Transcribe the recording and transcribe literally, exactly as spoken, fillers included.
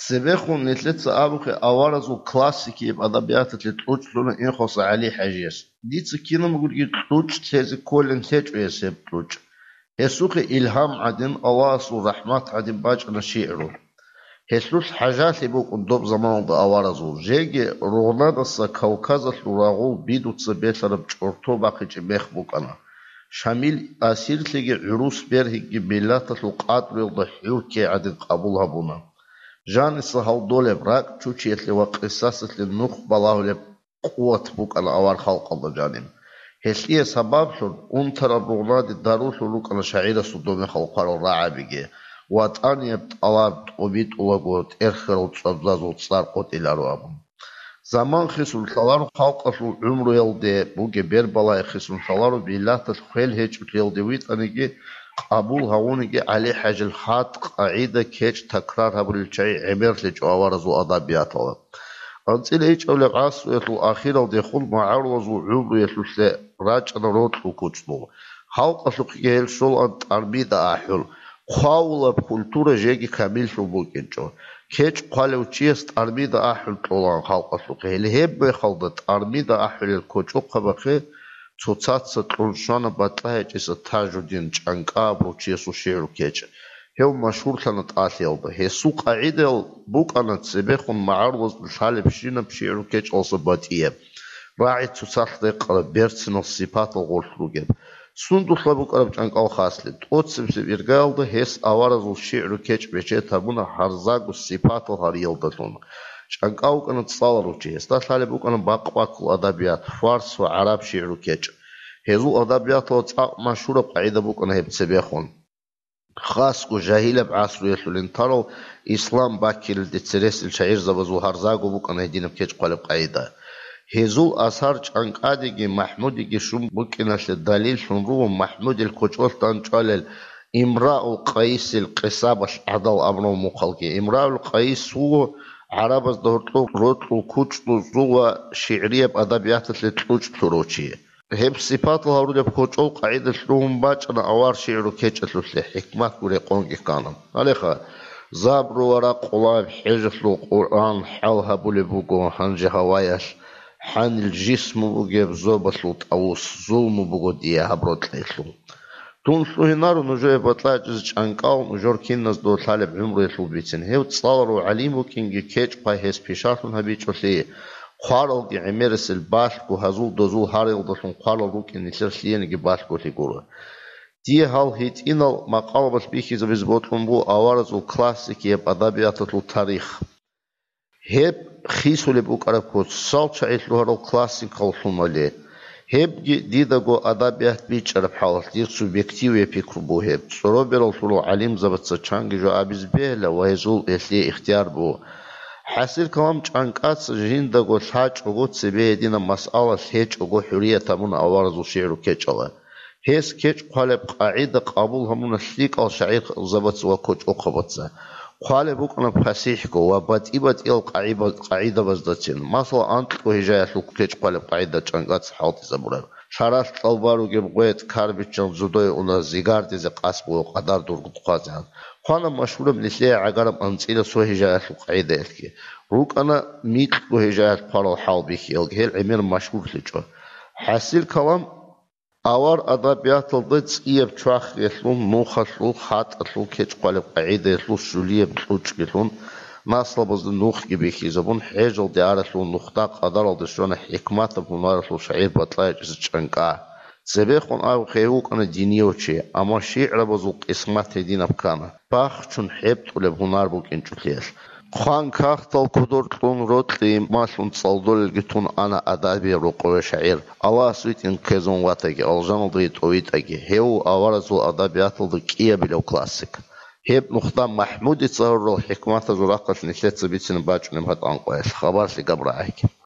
Цебехун нилъеца абухъе аваразул классикияб адабияталъе кьучӀ лъуна Инхоса ГӀали-хӀажияс. Дица кинаб гурги кьучӀ лъезе кколин лъечӀо гьес гьеб кьучӀ. Гьесухъе илгьам гӀадин, Аллагьасул рахӀмат гӀадин бачӀана шигӀру. Гьелъулъ хӀажалъи букӀун доб заманалда аваразул, жеги Ругънадаса Кавказалъул рагъул бидуца белъараб чӀорто бахъичӀеб мех букӀана. Шамил асирлъиги гӀурус бергьиги миллаталъул къадру гьелда хӀуркей гӀадин къабул гьабуна. Жаниса гьалдолеб, ракӀчучиялъе ва къисасалъе нух балагьулеб къуват букӀана авар халкъалда жаниб. Гьелъие сабаблъун унтараб Ругънаде дарулъун рукӀана шагӀирасул доб мехалъ хъварал рагӀабиги, ватӀанияб тӀалаб тӀобитӀулаго тӀерхьарал цӀвабзазул цӀар къотӀиларо абун. Заман хисун лъаларо халкъалъул гӀумруялде, бугеб бербалай хисун лъаларо миллаталъ хвел гьечӀолъиялде витӀаниги, къабул гьавуниги ГӀали-хӀажил хатӀ, къагӀида, кечӀ такрар гьабулел чагӀи гӀемерлъичӀо аваразул адабияталда. АнцӀила ичӀабилеб гӀасруялъул ахиралдехун магӀарулазул гӀумруялъулъе рачӀана рокьул кучӀдул. Халкъалъухъеги гьел щолаан тӀармида ахӀул, хъвавулаб культура жеги камиллъун букӀинчӀо. КечӀ хъвалев чияс тӀармида ахӀул кьолаан халкъалъухъе. Гьеле гьеб мехалда тӀармида ахӀулел кочӀохъабахъе цоцаца кьун щвана БатӀа гьечӀеса Тажудин, ЧӀанкӀа абурав чиясул шигӀру кечӀ. Гьев машгьурлъана тӀалъиялда. Гьесул къагӀидаял букӀана цебехун магӀарулазда лъалебщинаб шигӀру кечӀалъа батӀияб, рагӀи цоцалъ рекъараб, берцинал сипатал гъорлъ ругеб. Сундулъа букӀараб чӀанкӀал хаслъи, тӀоцебесеб иргаялда гьес аваразул шигӀру кечӀ бечед гьабуна гьарзаго сипатал гьариялдалъун. ЧӀанкӀа вукӀана цӀаларав чи, гьесда лъалеб букӀана бакъ-баккул адабият, фарс ва гӀараб шигӀру кечӀ. Гьезул адабияталда цӀакъ машгьураб къагӀида букӀана гьеб цебехун. Хасго жагьилаб гӀасруялъулин тарал ислам баккилалде цересел шагӀирзабазул гьарзаго букӀана гьединаб кечӀ хъвалеб къагӀида. Гьезул асар чӀанкӀадеги МахӀмудеги щун букӀиналъе далиллъун руго МахӀмудил кочӀолъ дандчӀвалел Имраул Къайисил къисабалъ гӀадал абураб мухъалги. Имраул Къайис вуго гӀарабазда гьоркьоб рокьул кучӀдузул ва шигӀрияб адабияталъе кьучӀ лъурав чи. Гьеб сипатал гьарулеб кочӀол къагӀидалъ ругьун бачӀана авар шигӀру кечӀалъулъе, хӀикматго рекъонги ккана. Гьалеха, забру ва ракъулаб хӀежалъул Къуръан хӀал гьабулеб буго гьанже гьаваялъ, хӀанил жисму бугеб зобалъул тӀавус, зулму буго дие гьаб рокьилъул. Дун лъугьинаро нужее батӀа гьечӀезе чӀанкӀал, нужер киназда лъалеб гӀумруялъул бицин. Гьев цӀаларав гӀалим вукӀинги кечӀ-хъвай гьес пишалъун гьабичӀолъи, хъваралги гӀемерисел балъго, гьазул-дозул гьариялдалъун хъварал рукӀин нилъер лъиениги балъголъи гуро. Дие гьал гьитӀинал макъалабалъ бихьизабизе бокьун буго аваразул классикияб адабияталъул тарих. Гьеб хисулеб букӀараб куц, цал чагӀи лъугьарал классикал лъумали. Гьебги дидаго адабият бичӀчӀараб хӀалалъ дир субъективияб пикру буго гьеб. ЦӀороберал лъурал гӀалимзабаца чанги жо абизе бегьила ва гьезул гьелъие ихтияр буго. ХӀасил калам чӀанкӀаца жиндаго лъачӀого цебе гьединаб масъала лъечӀого хӀурият гьабуна аваразул шигӀру кечӀала. Гьес кечӀ хъвалеб къагӀида къабул гьабуна лъикӀал шагӀирзабаца ва кочӀохъабаца. Хъвалеб букӀана пасихӀго ва батӀи-батӀиял къагӀиба-, къагӀидабаздацин, масала, анкьго гьижаялъул кечӀ хъвалеб къагӀида чӀанкӀаца хӀалтӀизабураб. Лъаралъ кьалба ругеб гъветӀ карбиччан зодое уна зигардизе къасд буго къадар дурго хъвазегӀан. Хъвана машгьураб нилъее гӀагараб анцӀила цо гьижаялъул къагӀидаялъги. РукӀана микьго гьижаялъ хъварал хӀал бихьиялги, гьел гӀемер машгьурлъичӀо. ХӀасил калам, авар адабияталда цӀияб чвахиялъул, нухалъул, хатӀалъул, кечӀ хъвалеб къагӀидаялъул щулияб кьучӀгилъун, наслабазда нухги бихьизабун, хӀежалде аралъув нухда къадаралде щвана хӀикматаб гьунаралъул шагӀир батӀа гьечӀеса чӀанкӀа. Цебехун абухъе гьев вукӀана динияв чи, амма шигӀрабазул къисмат гьединаб ккана, бахчун хӀебтӀулеб гьунар букӀинчӀолъиялъ. Хъван кагътал кодор кьун, рокьи малъун цӀалдолелги тун ана адабияб рокъове шагӀир, Аллагьас витӀин ккезун ватаги, алжаналдаги тӀовитӀаги, гьев аваразул адабияталда кӀиабилев классик. Гьеб нухда МахӀмудица гьарурал хӀикматазул рахъалъ нилъеца бицина бачӀунеб гьатӀанкъоялъ хабарлъи габ рагӀаги.